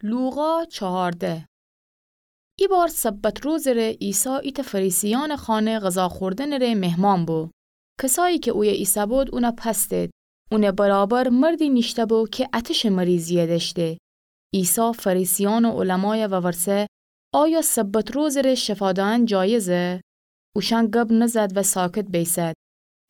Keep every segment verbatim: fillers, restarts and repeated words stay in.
لوقا چهارده. ایبار سبت روزٚ ره عیسی ایتأ فریسیأنٚ خانه غذا خوردنٚ ره مهمان بو. کسایی کی اویه ایسه‌بود اونَ پس دید. اونٚ برابر مردی نیشته‌بو کی اتشٚ مریضیی دأشته. عیسی فریسیأن و علمای وورسه: آیا سبت روزٚ ره شفا دئن جایزه؟ اوشأن گب نزد و ساکت بیسد.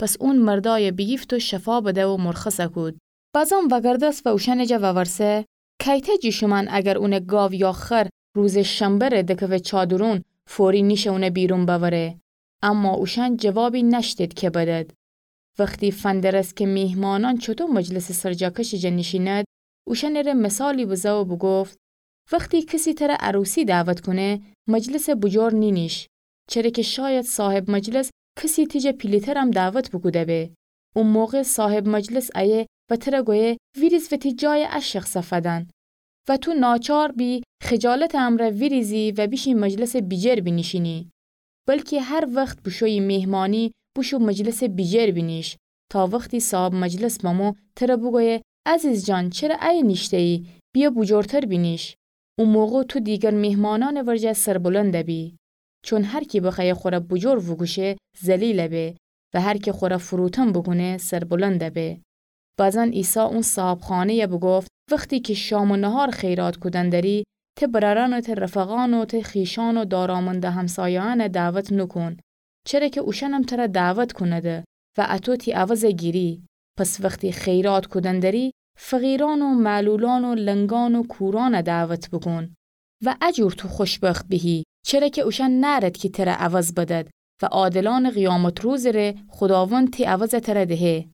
پس اون مردأی بیگیفت و شفا بده و مرخص کود. بزان وگردست و اوشأنٚ جا وورسه: کیته جی شومأن اگر اونٚ گاو یا خر روزٚ شنبه ره دکفه چادرون، فوری نیشه اونَ بیرون بأوره؟ اما اوشأن جوابی نأشتید کی بدد. وختی فندرست کی میهمانأن چوطو مجلسٚ سرجاکشٚ جا نیشینید، اوشأنٚ ره مثالی بزه و بوگفت: وختی کسی تره عروسی دعوت کونه، مجلسٚ بوجور نینیش، چره کی شاید صاحب مجلس کسی تی جا پیلی‌ترم دعوت بوکوده به. او موقع صاحب مجلس ایه و تره گویه: ویریز و تی جای ا شخص فدن. و تو ناچار بی خجالتٚ امرأ ویریزی و بیشی مجلسٚ بیجیر بینیشینی. بلکی هر وخت بوشویی میهمانی، بوشو مجلسٚ بیجیر بینیش، تا وختی صاحب مجلس بمو تره بوگویه: عزیز جان، چره ایه نیشته‌یی؟ بیه بوجورتر بینیش. او موقع تو دیگر میهمانأنٚ ورجه سربلند بی. چون هر کی بخوأیه خوره بوجور وکوشه، ذلیل به، و هر کی خوره فروتن بوکونه، سربلند به. بزان عیسی اون صاحبخانه‌ی بوگفت: وختی کی شام و نهار خیرات کودن دری، ته برأرأن و ته رفقأن و ته خویشأن و دارامند همسایه‌أن دعوت نوکون، چره کی اوشأنم تره دعوت کونده و اتو تی عوض گیری. پس وختی خیرات کودن دری، فقیرأن و معلولأن و لنگأن و کورأن دعوت بوکون. و ا جور تو خوشبخت بیهی، چره کی اوشأن نأرد کی تره عوض بدد و عادلأنٚ قیامت روزٚ ره خوداوند تی عوض تره دهه.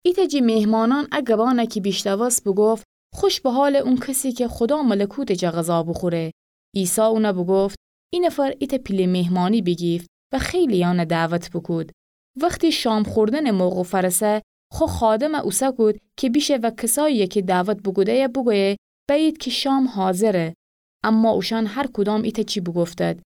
ایتأ جی میهمانأن ا گبأن کی بیشنوست بوگفت: خوش به حالٚ اون کسی کی خودا ملکوتٚ جا غذا بوخوره. عیسی اون بوگفت: ای نفر ایتأ پیله میهمانی بیگیفت و خیلیأن دعوت بوکود. وختی شام خوردنٚ موقع فأرسه، خو خادم اوسه کود کی بیشه و کسایی کی دعوت بوکوده‌ی بوگویه بأیید کی شام حاضره. اما اوشأن هر کدام ایتأ چی بوگفتد.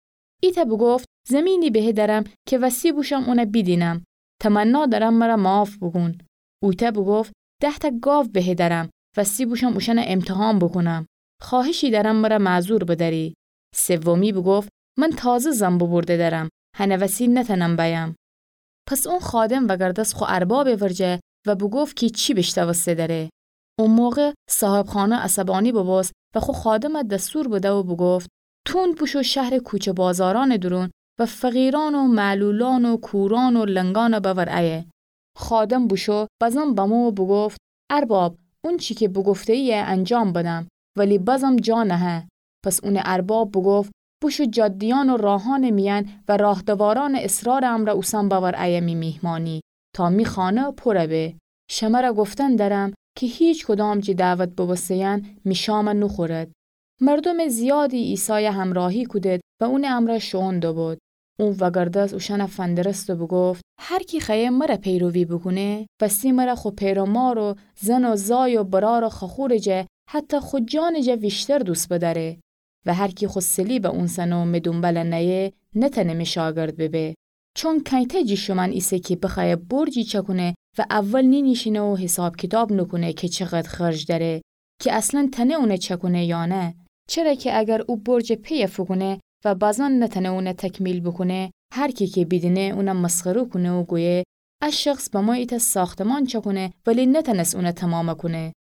ایتأ بوگفت: زمینی بهه درم کی وستی بوشم اون بیدینم. تمنا درم مر معاف بوکون. اویتأ بوگفت: ده‌تأ گاو بهه درم، وستی بوشم اوشأن امتحان بوکونم. خوأهشی درم مر معزور بدأری. سومی بوگفت: من تازه زن بوبورده درم، هنٚ وسی نتأنم بأیم. پس اون خادم وگردست خو اربابٚ ورجه و بوگفت کی چی بیشنوسته دره. او موقع صاحبخانه عصبأنی بوبوست و خو خادم دستور بده و بوگفت: تون بوشو شهرٚ کوچه بازارأنٚ دورون و فقیرأن و معلولأن و کورأن و لنگأن بأور ایه. خادم بوشو بزان بمو و بوگفت: ارباب، اونچی کی بوگفته‌یی انجام بدم، ولی بزم جا نهه. پس اونٚ ارباب بوگفت: بوشو جاده‌یأن و راهأنٚ میأن و راهدوارأنٚ اصرارٚ امرأ اوسان بأور ایه می میهمانی، تا می خانه پور به. شمر گفتن درم کی هیچ کدام جی دعوت بوبوسته‌یأن می شام نوخورد. مردومٚ زیادی عیسای همراهی کودید و اونٚ امرأ شوئون دوبود. اون وگردست اوشأن فندرست و بوگفت: هر کی خوأیه مر پیروی بوکونه، وستی مر خو پئر و مار و زن و زای و برار و خوأخورٚ جه، حتی خو جانٚ جه ویشتر دوست بدأره. و هر کی خو صلیب اونسأنه و می دونبال نأیه، نتأنه می شاگرد ببه. چون کیته جی شومأن ایسه کی بخوأیه برجی چکونه و اول نینیشینه و حساب کیتاب نوکونه کی چقدر خرج دأره، کی اصلاً تأنه اونه چکونه یا نه؟ چره کی اگر او برج پیه فوکونه و بازان نتأنه اونه تکمیل بوکونه، هر کی کی بیدینه اونه مسخره کونه و گویه: ا شخص بمو ایتأ ساختمان چکونه ولی نتأنست اونه تمام کونه.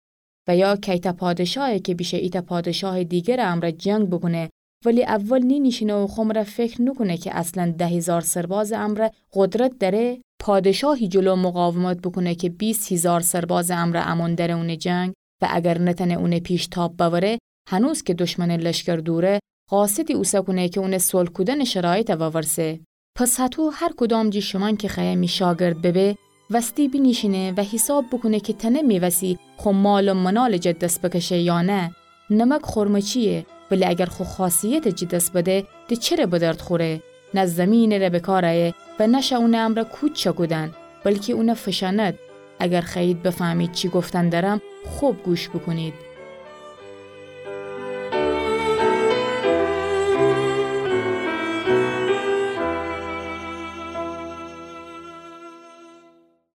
و یا کیتأ پادشاهی کی بیشه ایتأ پادشاه دیگرٚ امرأ جنگ بوکونه ولی اول نینیشینه و خو مر فکر نوکونه کی اصلاً ده هیزار سربازٚ امرأ قدرت دأره؟ پادشاهی جلو مقاومت بوکونه کی بیست هیزار سربازٚ امرأ امون دأره اونٚ جنگ و اگر نتأنه اونٚ پیش تاب بأوره، هنوز کی دشمنٚ لشکر دوره، قاصدی اوسه کونه کی اونٚ صلح کودنٚ شرایط وورسه. پس هطو هر کدام جی شومأن کی خوأیه می شاگرد ببه، وستی بینیشینه و حساب بوکونه کی تأنه می وسی خو مال و منالٚ جه دس بکشه یا نه. نمک خرمچییه، ولی اگر خو خاصیتٚ جه دس بده، د چره به درد خوره؟ نه زیمینٚ ره به کار ایه و نه شه اونٚ امرأ کوچ چکودن، بلکی اونه فشأند. اگر خوأیید بفهمید چی گفتن درم، خب گوش بوکونید.